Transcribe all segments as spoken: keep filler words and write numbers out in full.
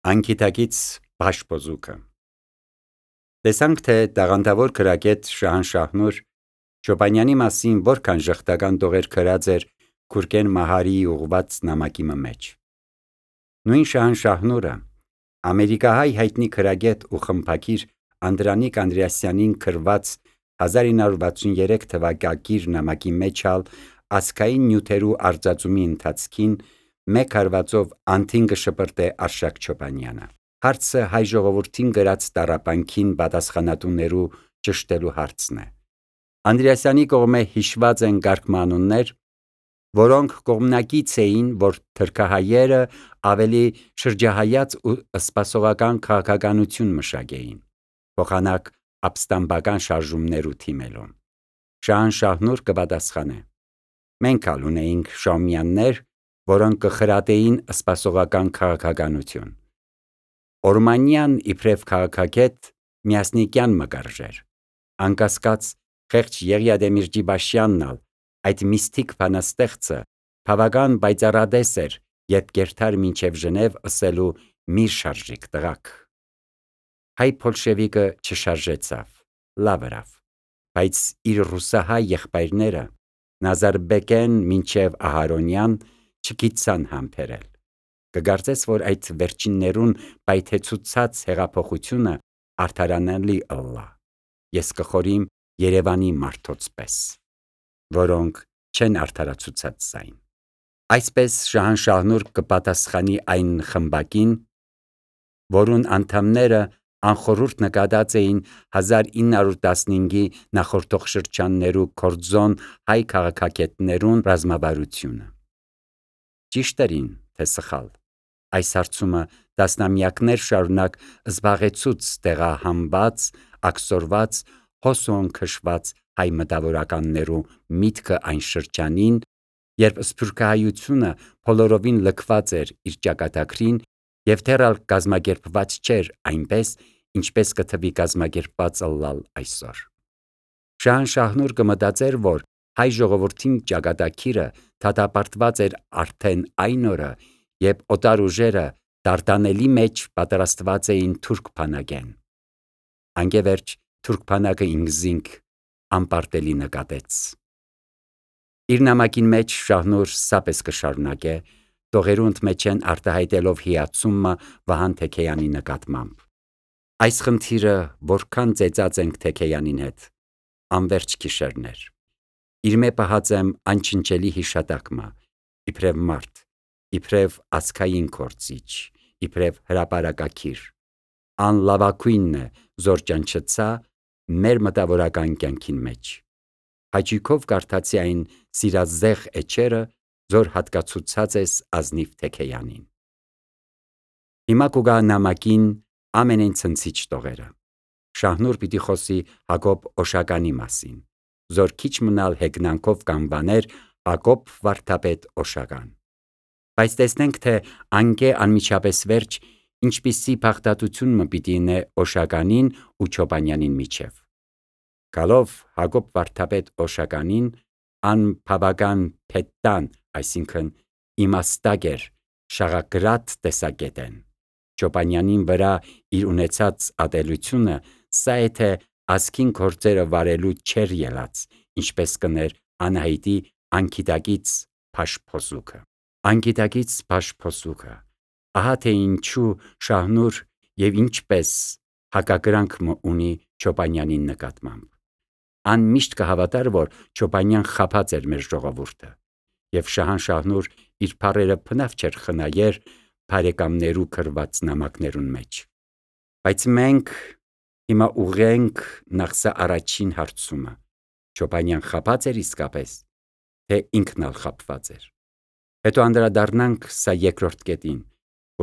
Անկիտակից բաշփոզուկը Տեսանք, թե տաղանդավոր քրագետ Շահանշահնուր Չոբանյանի մասին որքան ժխտական տողեր քրած էր Քուրքեն Մահարիի ուղված նամակի մեջ։ Նույն Շահանշահնուրը ամերիկահայ հայտնի քրագետ ու խմբագիր Անդրանիկ Անդրեասյանին քրված հազար ինը հարյուր վաթսուններեք թվակակիր նամակի մեջ ալ ազգային նյութերու արձածումի ընթացքին մեկ հարվածով անթին կշպրտե Արշակ Չոբանյանը։ Հարցը հայ ժողովրդին գրած տառապանքին պատասխանատուներու ճշտելու հարցն է։ Անդրեասյանի կողմէ հիշված են գարկմանուններ, որոնք կողմնակից էին, որ թրքահայերը ավելի շրջահայաց ու սպասողական քաղաքականություն մշակեին, փոխանակ ապստամբական շարժումներու թիմելով։ Շահանշահնուր կպատասխանե. Մենք ալ ունեինք շահումյաններ, որոնք կխրատեին սպասողական քաղաքականություն։ Օրմանյան իբրև քաղաքագետ Միասնիկյան մկարժեր, անկասկած խեղճ Եղիա Դեմիրճիբաշյանն ալ այդ միստիկ բանաստեղծը բավական պայծառադես էր, երբ կերթար մինչև Ժնև ըսելու «Մի շարժիկ տղաք»։ Հայ բոլշևիկը չշարժեցավ, լավ ըրավ, բայց իր ռուսահայ եղբայրները Նազարբեկեն մինչև Ահարոնյան չգիտցան համբերել։ Կգարծես, որ այդ վերջիններուն պայթեցուցած հեղափոխությունը արդարանալի ըլլա։ Ես կխորիմ Երևանի մարդոց պես, որոնք չեն արդարացուցած զայն։ Այսպես Շահանշահնուր կպատասխանի այն խմբակին, որուն անդամները անխորհուրդ նկատած էին հազար ինը հարյուր տասնհինգի նախորդող շրջաններու կորձոն հայ քաղաքագետներուն ռազմավարությունը։ Ճիշտ երին, թե սխալ։ Այս հարցումը տասնամյակներ շարունակ զբաղեցուց տեղահանված, աքսորված, հոսոն քշված հայ մտավորականներու միտքը այն շրջանին, երբ սփյուռքահայությունը բոլորովին լքված էր իր ճակատագրին և դեռ ալ կազմակերպված չէր այնպես, ինչպես կթվի կազմակերպված ըլլալ այսօր։ Շահանշահնուր կմտածեր, որ հայ ժողովրդին ճակատագիրը դատապարտված էր արդեն այն օրը, երբ օտար ուժերը դարդանելի մեջ պատրաստված էին թուրք բանակեն։ Անկևերջ թուրք բանակը ինքզինք անպարտելի նկատեց։ Իր նամակին մեջ Շահնուր սապես կշարունակե, տողերու ընդմեջեն արտահայտելով հիացումը Վահան Թեքեյանի նկատմամբ։ Այս խնդիրը որքան ծեծած ենք Թեքեյանին հետ, անվերջ գիշերներ։ Իր մե պահած եմ անչնչելի հիշատակմա, իբրև մարդ, իբրև ազգային գործիչ, իբրև հրապարակագիր։ Անլավագույնն է զոր ճանչցա մեր մտավորական կյանքին մեջ։ Հաճույքով կարդացի այն սիրազեղ էջերը, զոր հատկացուցած ես ազնիվ Թեքեյանին։ Հիմա կուգա նամակին ամենեն ցնցիչ տողերը։ Շահնուր պիտի խոսի Հակոբ Օշականի մասին, զոր քիչ մնալ հեգնանքով կանվաներ Հակոբ վարդապետ Օշական։ Բայց տեսնենք, թե անկե անմիջապես վերջ ինչպիսի փախտատություն մը պիտի ինե Օշականին ու Չոբանյանին միջև։ Գալով Հակոբ վարդապետ Օշականին անբավական փետտան, այսինքն իմաստագեր, շաղակրատ տեսակետեն, Չոբանյանին վրա իր ունեցած ատելությունը սա է, թե ազգին գործերը վարելու չեր ելած, ինչպես կներ Անահիտի անկիտակից բաշփոզուկը։ Անկիտակից բաշփոզուկը, ահա թե ինչու Շահնուր և ինչպես հակակրանք մը ունի Չոբանյանին նկատմամբ։ Ան միշտ կհավատար, որ Չոբանյան խաբած էր մեր ժողովուրդը, և Շահանշահնուր իր բառերը բնավ չէր խնայեր բարեկամներու գրված նամակներուն մեջ։ Բայց մենք հիմա ուղղենք նախ սա առաջին հարցումը. Չոբանյան խաբած էր իսկապես, թե ինքն ալ խաբված էր։ Հետո անդրադառնանք սա երկրորդ կետին,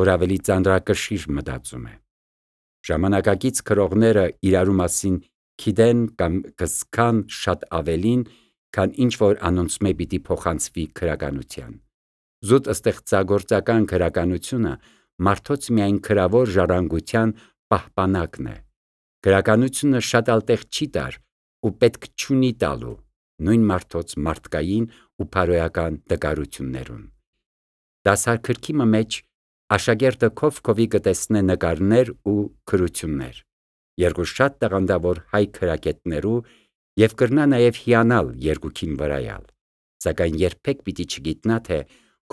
որ ավելի ծանրակշիռ մտածում է։ Ժամանակակից գրողները իրարու մասին գիտեն կամ կզգան շատ ավելին, քան ինչ որ անոնցմե պիտի փոխանցվի գրականության։ Զուտ ստեղծագործական գրականությունը մարդոց միայն գրավոր ժառանգության պահպանակն է։ Գրականությունը շատ ալ տեղ չի տար ու պետք չունի տալու նույն մարդոց մարդկային ու բարոյական տկարություններուն։ Դասագրքի մեջ աշակերտը քով-քովի կտեսնե նկարներ ու քրություններ, երկու շատ տաղանդավոր հայ քրագետներու եւ կրնա նաեւ հիանալ երկուքին վրայալ, սակայն երբեք պիտի չգիտնա թե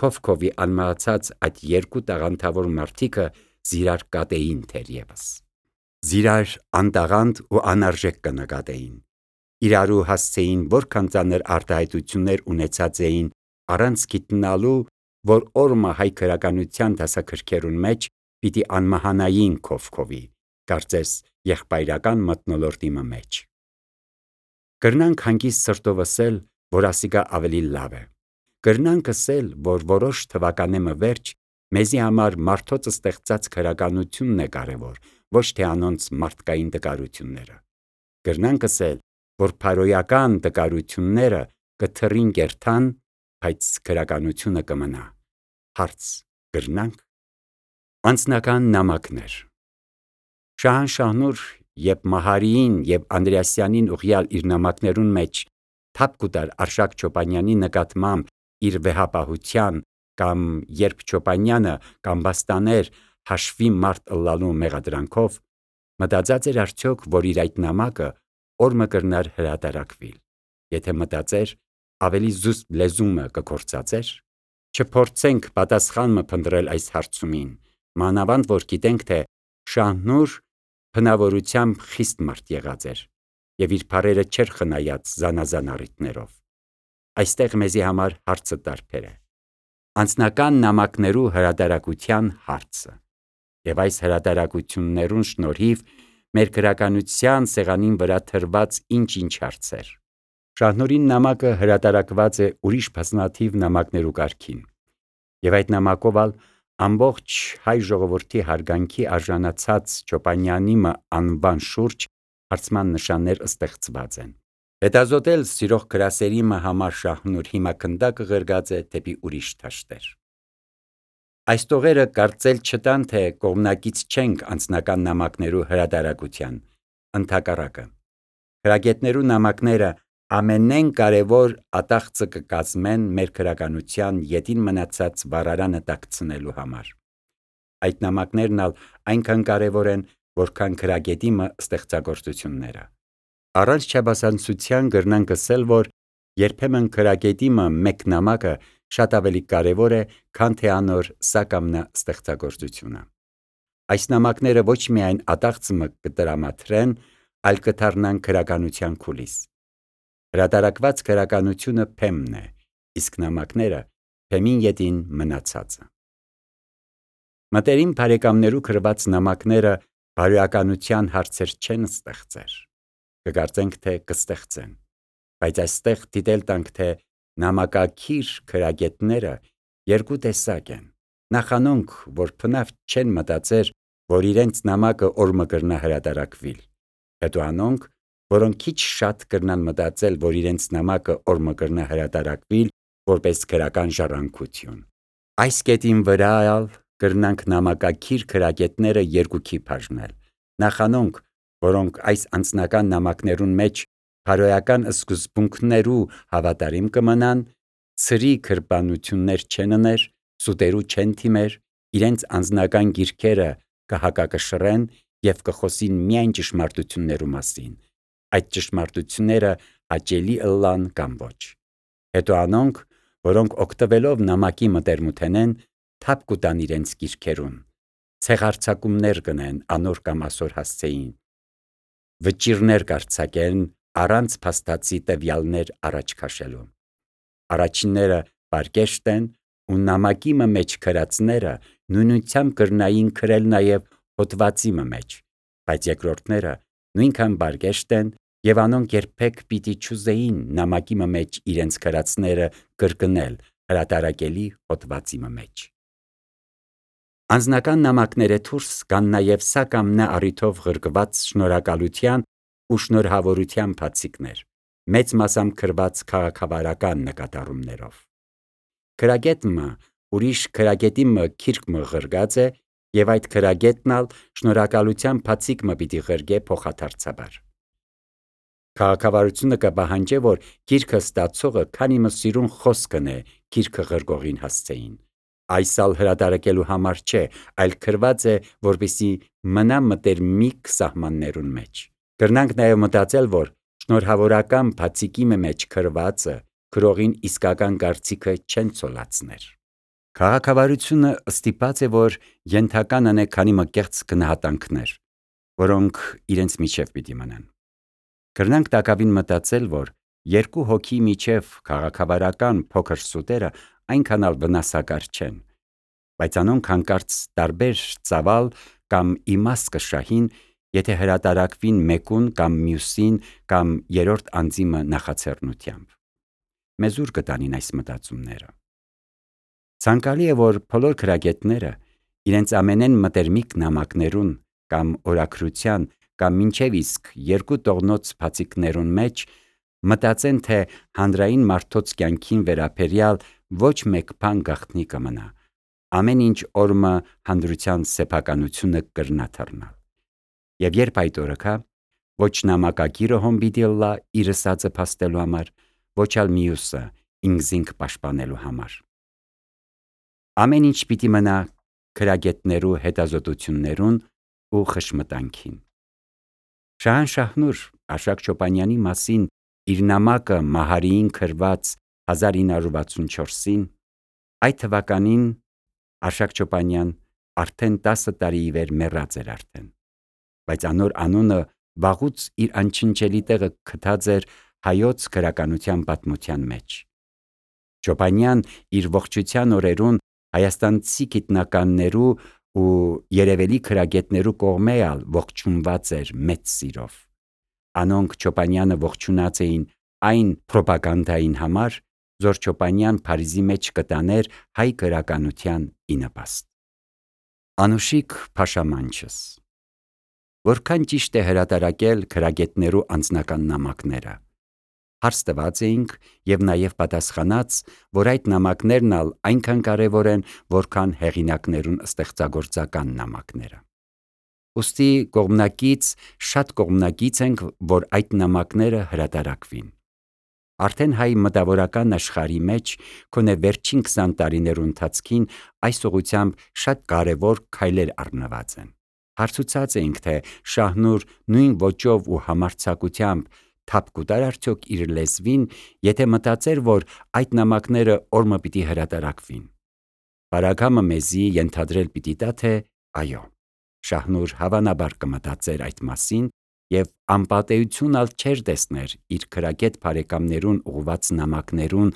քով-քովի անմահացած այդ երկու տաղանդավոր մարդիկը զիրար կատեին թերևս, զիրար անտաղանդ ու անարժեք կնկատեին, իրարու հասցեին որքան ծանր արտահայտություններ ունեցած էին առանց գիտնալու, որ օրմը հայ քրականության դասակրքերուն մեջ պիտի անմահանային քով-քովի, կարծես եղբայրական մթնոլորտի մեջ։ Կրնանք հանգիստ սրտով ասել, որ ասիկա ավելի լավ է։ Կրնանք ասել, որ որոշ թվականեմը վերջ մեզի համար մարդոց ստեղծած քրականությունն է կարևոր, ոչ թե անոնց մարդկային տկարությունները։ Կրնանք ասել, որ փարոյական տկարությունները կթռին կերթան, բայց քրականությունը կմնա։ Հարց. կրնանք։ Անձնական նամակներ։ Շահանշահնուր եւ Մահարիին եւ Անդրեասյանին ուղյալ իր նամակներուն մեջ թափ կուտար Արշակ Չոպանյանի նկատմամբ իր վեհապահության կամ երբ Չոպանյանը կամ բաստաներ հաշվի մարդ ըլլալու մեղադրանքով, մտածած էր արդյոք, որ իր այդ նամակը օրմը կրնար հրատարակվիլ, եթե մտածեր, ավելի զուսպ լեզումը կկործածեր, չփորձենք պատասխանը փնտրել այս հարցումին, մանավանդ որ գիտենք, թե Շահնուր բնավորությամբ խիստ մարդ եղած էր եւ իր բարերը չէր խնայած զանազան առիթներով։ Այստեղ մեզի համար հարցը տարբեր է։ Անձնական նամակներու հրատարակության հարցը եւ այս հրատարակություններուն շնորհիվ մեր քրականության սեղանին վրա թրված ինչ-ինչ հարցեր։ Շահնուրին նամակը հրատարակված է ուրիշ բազմաթիվ նամակներու կարգին եւ այդ նամակով ալ ամբողջ հայ ժողովրդի հարգանքի արժանացած Չոպանյանի անվան շուրջ հարցման նշաններ ստեղծված են։ Հետազոտել սիրող գրասերի համար Շահնուր հիմա քնդակը ղրգած է դեպի ուրիշ դաշտեր։ Այս տողերը կարծել չտան, թե կողմնակից չենք անձնական նամակներու հրատարակության, ընդհակառակը։ Քրագետներու նամակները ամենեն կարևոր ատաղծը կկազմեն մեր քրականության ետին մնացած վառարանը տաքցնելու համար։ Այդ նամակներն ալ այնքան կարևոր են, որքան քրագետի մը ստեղծագործությունները։ Առանց չափազանցության կրնանք ասել, որ երբեմն քրագետի մը մեկ նամակը շատ ավելի կարևոր է, քան թե անոր սակամնա ստեղծագործությունը։ Այս նամակները ոչ միայն ատաղծը կտրամադրեն, այլ կդառնան քրականության քուլիս։ Հրատարակված քրականությունը փեմն է, իսկ նամակները փեմին ետին մնացածը։ Մտերիմ բարեկամներու գրված նամակները բարոյականության հարցեր չեն ստեղծեր։ Կկարծենք, թե կստեղծեն, բայց այստեղ դիտել տանք, թե նամակակիր քրագետները երկու տեսակ են։ Նախանոնք, որ բնավ չեն մտածեր, որ իրենց նամակը օրմը կրնա հրատարակվիլ, հետո անոնք, որոնք քիչ շատ կրնան մտածել, որ իրենց նամակը օրմը կրնա հրատարակվիլ, որպես քրական ժառանգություն։ Այս կետին վրա ալ կրնանք նամակակիր քրագետները երկուքի բաժնել։ Նախանոնք, որոնք այս անձնական նամակներուն մեջ բարոյական սկզբունքներու հավատարիմ կմնան, ցրի քրբանություններ չեն ուներ, սուտերու չեն թիմեր, իրենց անձնական գիրքերը կհակակշռեն եւ կխոսին միայն ճշմարտություններու մասին, այդ ճշմարտությունները հաճելի ըլլան կամ ոչ։ Հետո անոնք, որոնք օգտվելով նամակի մտերմութենեն, թափ կուտան իրենց գիրքերուն, ցեղարցակումներ կնեն անոր կամ ասոր հասցեին, վճիրներ կարձակեն առանց փաստացի տվյալներ առաջ քաշելու։ Առաջինները պարկեշտ են ու նամակի մեջ քրածները նույնությամբ կրնային քրել նաև հոդվածի մեջ, բայց երկրորդները նույնքան պարկեշտ են եւ անոնք երբեք պիտի չուզեին նամակի մեջ իրենց քրածները կրկնել հրատարակելի հոդվածի մեջ։ Անձնական նամակները դուրս կան նաև սակամնա առիթով ղրկված շնորհակալության ու շնորհավորության բացիկներ, մեծ մասամբ գրված քաղաքավարական նկատառումներով։ Քրագետը ուրիշ քրագետի մը քիրք մը ղրգած է եւ այդ քրագետն ալ շնորհակալության բացիկ մը պիտի ղրգե փոխադարձաբար։ Քաղաքավարությունը կպահանջե, որ գիրքը ստացողը քանի մը սիրուն խոսքն է գիրքը ղրգողին հասցեին, Այսալ հրատարակելու համար չէ, այլ գրված է, որպեսզի մնա մտերմիկ սահմաններուն մեջ։ Կրնանք նաև մտածել, որ շնորհավորական բացիկի մեջ գրվածը գրողին իսկական կարծիքը չեն ցոլացներ։ Քաղաքավարությունը ստիպած է, որ ենթական անե քանի մկեղծ գնահատանքներ, որոնք իրենց միջև պիտի մնան։ Կրնանք տակավին մտածել, որ երկու հոգի միջև քաղաքավարական փոքր սուտերը այնքան ալ վնասակար չեն, բայց անոնք հանկարծ տարբեր ծավալ կամ իմաստ կշահին, եթե հրատարակվին մեկուն կամ մյուսին կամ երրորդ անձիմը նախաձեռնությամբ։ Մեզ ուր կտանին այս մտածումները։ Ցանկալի է, որ բոլոր գրագետները իրենց ամենեն մտերմիկ նամակներուն կամ օրագրության կամ մինչև իսկ երկու տողնոց բացիկներուն մեջ մտածեն, թե հանրային մարդոց կյանքին վերաբերյալ ոչ մեկ բան գաղտնի կմնա, ամեն ինչ օրմը հանրության սեփականությունը կրնա թռնալ։ Եվ երբ այդ օրը կա, ոչ նամակագիրը հոն պիտի լա իր ասածը փաստելու համար, ոչ ալ մյուսը ինքզինք պաշտպանելու համար։ Ամեն ինչ պիտի մնա գրագետներու հետազոտություններուն ու խշմտանքին։ Շահանշահնուր Արշակ Չոպանյանի մասին իր նամակը Մահարիին գրված հազար ինը հարյուր վաթսունչորսին, այդ թվականին Արշակ Չոպանյան արդեն տասը տարի ի վեր մեռած էր արդեն, բայց անոր անունը վաղուց իր անչնչելի տեղը գտած էր հայոց գրականության պատմության մեջ։ Չոպանյան իր ողջության օրերուն հայաստանցի գիտնականներու ու երևելի գրագետներու կողմեալ ողջունված էր մեծ սիրով։ Անոնք Չոպանյանը ողջունած էին այն պրոպագանդային համար, որ Չոպանյան Փարիզի մեջ կտաներ հայ գրականության ի նպաստ։ Անուշիկ Փաշամանչս Որքան ճիշտ է հրատարակել գրագետներու անձնական նամակները։ Հարց տված էինք եւ նաեւ պատասխանած, որ այդ նամակներն ալ այնքան կարեւոր են, որքան հեղինակներուն ստեղծագործական նամակները։ Ոստի կողմնակից շատ կողմնակից ենք, որ այդ նամակները հրատարակվին։ Արդեն հայ մտավորական աշխարհի մեջ քոնե վերջին քսան տարիներու ընթացքին այս ուղղությամբ շատ կարևոր քայլեր առնված են։ Հարցուցած էինք, թե Շահնուր նույն ոճով ու համարձակությամբ թափ կուտար արդյոք իր լեզվին, եթե մտածեր, որ այդ նամակները օրմը պիտի հրատարակվին։ Բարագամը մեզի ենթադրել պիտի տա, թե այո, Շահնուր հավանաբար կմտածեր այդ մասին եւ անպատեություն ալ չէր տեսներ իր գրագետ բարեկամներուն ուղված նամակներուն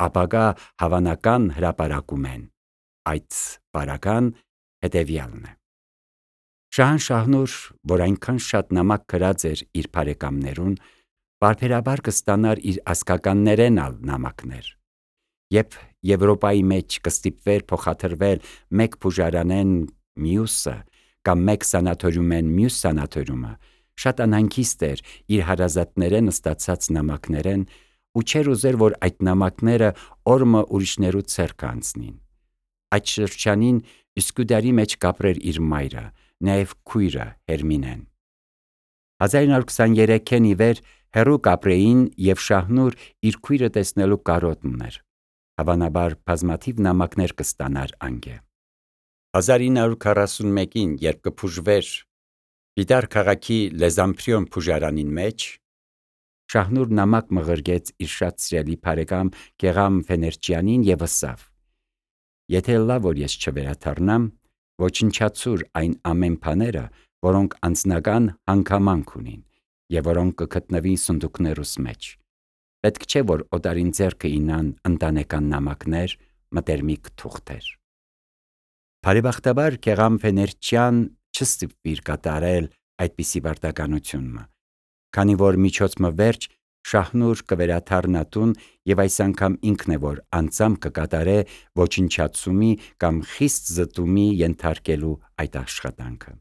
ապագա հավանական հրապարակումեն։ Այդ բարական հետեւյալն է։ Շահանշահնուր, որ այնքան շատ նամակ գրած էր իր բարեկամներուն, բարբերաբար կստանար իր ասկականներեն ալ նամակներ։ Երբ Եվրոպայի մեջ կստիպվեր փոխադրվել մեկ բուժարանեն մյուսը կամ մեկ սանատորիումեն մյուս սանատորիումը, շատ անհանգիստ էր իր հարազատներեն ստացած նամակներեն ու չէր ուզեր, որ այդ նամակները օրմը ուրիշներու ձեռք անցնին։ Այդ շրջանին Իսկուդարի մեջ կապրեր իր մայրը, նաև քույրը Հերմինեն։ հազար ինը հարյուր քսաներեքին ի վեր հեռու կապրեին եւ Շահնուր իր քույրը տեսնելու կարոտն ուներ։ Հավանաբար բազմաթիվ նամակներ կստանար անգե։ հազար ինը հարյուր քառասունմեկին, երբ կփուժվեր Պիտար քաղաքի Լեզամփրիոն բուժարանին մեջ, Շահնուր նամակ մղրգեց իր շատ սիրելի բարեկամ Գեղամ Ֆեներճյանին եւ ասավ. Եթե լավ որ ես չվերաթարնամ, ոչնչացուր այն ամեն բաները, որոնք անձնական հանգամանք ունին եւ որոնք կգտնվին սնդուկներուս մեջ։ Պետք չէ որ օտարին ձեռքը ինան ընտանեկան նամակներ, մտերմիկ թուղթեր։ Բարեբախտաբար Գեղամ Ֆեներճյան չստիպվիր կատարել այդպիսի վարտականությունը, քանի որ միջոցը վերջ Շահնուր կվերաթարնատուն եւ այս անգամ ինքն է որ անձամբ կկատարե ոչնչացումի կամ խիստ զտումի ենթարկելու այդ աշխատանքը։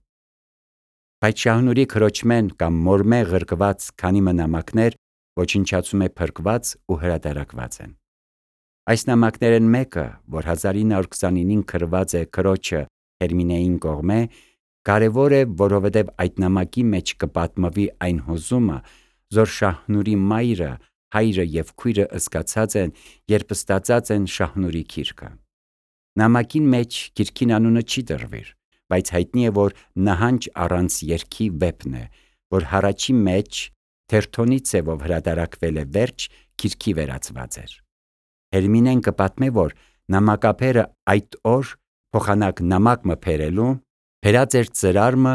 Բայց Շահնուրի քրոջմեն կամ մորմե ղրկված քանի նամակներ ոչնչացում է փրկված ու հրատարակված են։ Այս նամակներն մեկը, որ հազար ինը հարյուր քսանինին գրված է քրոջը Հերմինեին կողմե, կարևոր է, որովհետև այդ նամակի մեջ կպատմվի այն հուզումը, որ Շահնուրի մայրը, հայրը եւ քույրը զգացած են, երբ ստացած են Շահնուրի գիրքը։ Նամակին մեջ գիրքին անունը չի դրվիր, բայց հայտնի է, որ նահանջ առանց երգի վեպն է, որ հառաջի մեջ թերթոնի ձևով հրատարակվել է, վերջ գիրքի վերածված էր։ Հերմինեն կպատմե, որ նամակապերը այդ օր փոխանակ նամակ մփերելու փերած էր ծրարմը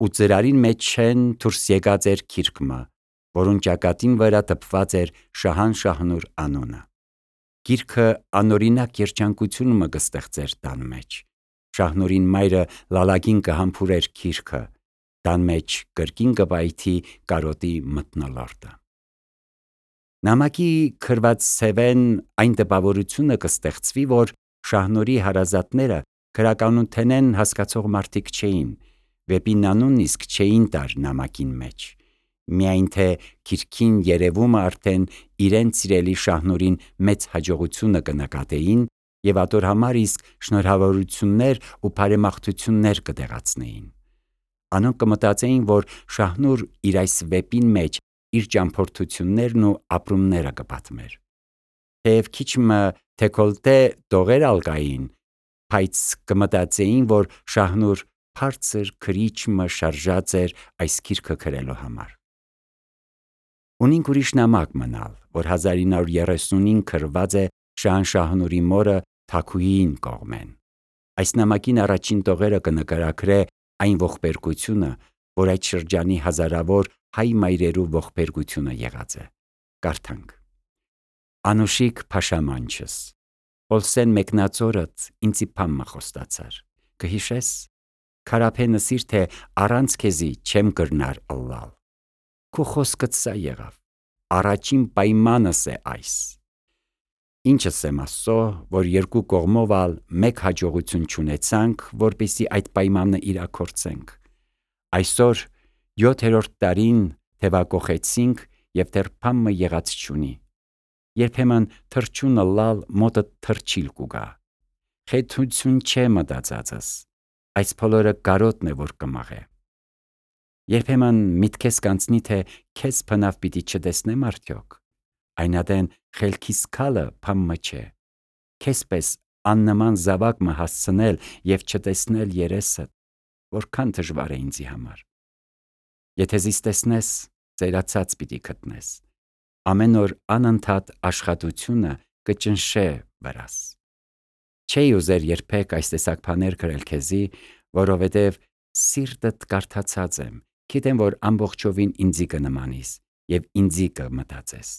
ու ծրարին մեջ են դուրս եկած էր գիրքը, որուն ճակատին վրա տպված էր Շահան Շահնուր անունը։ Գիրքը անօրինակ երջանկություն մը կստեղծեր տան մեջ։ Շահնուրին մայրը լալագին կհամբուրեր գիրքը, տան մեջ կրկին կպայթի կարոտի մթնոլորտը։ Նամակի քրված սևեն այն տպավորությունը կստեղծվի, որ Շահնուրի հարազատները քրականութենեն հասկացող մարդիկ չէին, վեպին անունն իսկ չէին տար նամակին մեջ, միայն թե գիրքին երևումը արդեն իրեն սիրելի Շահնուրին մեծ հաջողությունը կնկատեին և ատոր համար իսկ շնորհավորություններ ու բարեմաղթություններ կտեղացնեին։ Անոնք կմտածեին, որ Շահնուր իր այս վեպին մեջ իր ճամփորդություններն ու ապրումները կպատմեր։ Թեև քիչ մը դեկոլտե տողեր ալ կային, բայց կմտածեին, որ Շահնուր բարձր քրիչ մը շարժած էր այս գիրքը գրելու համար։ Ունինք ուրիշ նամակ մնալ, որ հազար ինը հարյուր երեսունին գրված է Շահան Շահնուրի մորը Թաքուհիին կողմեն։ Այս նամակին առաջին տողերը կնկարագրե այն ողբերգությունը, որ այդ շրջանի հազարավոր հայ մայրերու ողբերգությունը եղած է։ Կարդանք. Անուշիկ փաշամանչս, Պոլսեն մեկնածորդ ինձի փամմը խոստացար, կհիշես, քարափենը սիր թե առանց քեզի չեմ կրնար ըլլալ։ Քո խոսքդ սա եղավ, առաջին պայմանս է այս։ Ինչս եմ ասո, որ երկու կողմով ալ մեկ հաջողություն չունեցանք, որպեսի այդ պայմանը իրագործենք։ Այսօր յոթերորդ տարին թևակողեցինք և դեռ փամմը եղած չունի։ Երբեմն թրջունը լալ մոտը թրջիլ կուգա։ Խեթություն չէ մտածածս, այս փոլորը կարոտն է, որ կմաղե։ Երբեմն միտքես կանցնի, թե քեզ փնավ պիտի չտեսնեմ արդյոք։ Այնադեն խելքիս քալը փամմը չէ։ Քեզպես աննման զավակ մը հասցնել և չտեսնել երեսդ, որքան դժվար է ինձի համար։ Եթե զիս տեսնես, ծերացած պիտի գտնես։ Ամեն օր անընդհատ աշխատությունը կճնշե վրաս։ Չէի ուզեր երբեք այս տեսակ բաներ գրել քեզի, որովհետև սիրտդ կարդացած եմ, գիտեմ, որ ամբողջովին ինձի կնմանիս և ինձի կմտածես։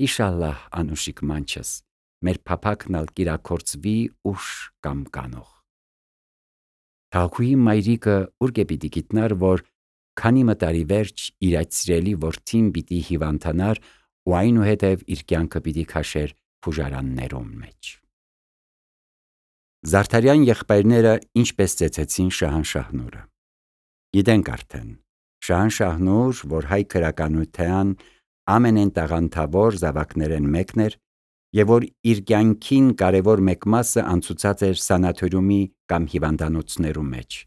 Իշալլահ, անուշիկ մանչս, մեր փափակն ալ կիրագործվի ուշ կամ կանող։ Թաքուհի մայրիկը ուր պիտի գիտնար, որ քանի մը տարի վերջ իր այդ սիրելի որդին պիտի հիվանդանար ու այնուհետև իր կյանքը պիտի քաշեր բուժարաններում մեջ։ Զարդարյան եղբայրները ինչպես ծեծեցին Շահան Շահնուրը։ Գիտենք արդեն, Շահան Շահնուր, որ հայ գրականության ամենեն տաղանդավոր զավակներեն մեկն էր, և որ իր կյանքին կարևոր մեկ մասը անցուցած էր սանաթորիումի կամ հիվանդանոցներու մեջ,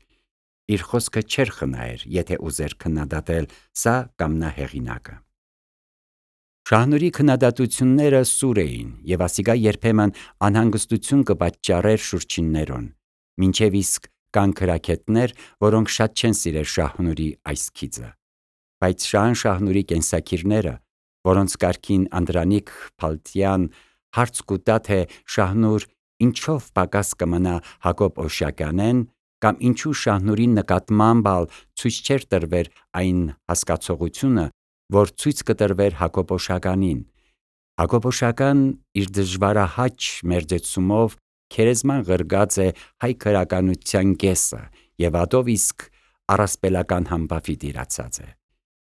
իր խոսքը չէր խնայեր, եթե ուզեր քննադատել սա կամ նա հեղինակը։ Շահնուրի քննադատությունները սուր էին, և ասիկա երբեմն անհանգստություն կպատճառեր շուրջիններուն, մինչև իսկ կան գրագետներ, որոնք շատ չեն սիրեր Շահնուրի այս գիծը։ Բայց Շահան Շահնուրի կենսագիրները, որոնց կարգին Անդրանիկ Փալտյան հարց կուտա, թե Շահնուր ինչով պակաս կմնա Հակոբ Օշակյանեն, կամ ինչու Շահնուրի նկատմամբ ալ ցույց չէր տրվեր այն հասկացողությունը, որ ցույց կտրվեր Հակոբ Օշականին։ Հակոբ Օշական իր դժվարահաճ մերձեցումով քերեզման ղրգած է հայ գրականության կեսը և ատով իսկ առասպելական համբավի տիրացած է։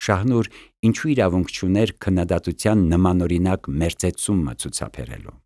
Շահնուր ինչու իրավունք չուներ քննադատության նմանօրինակ մերձեցումը ցուցաբերելու։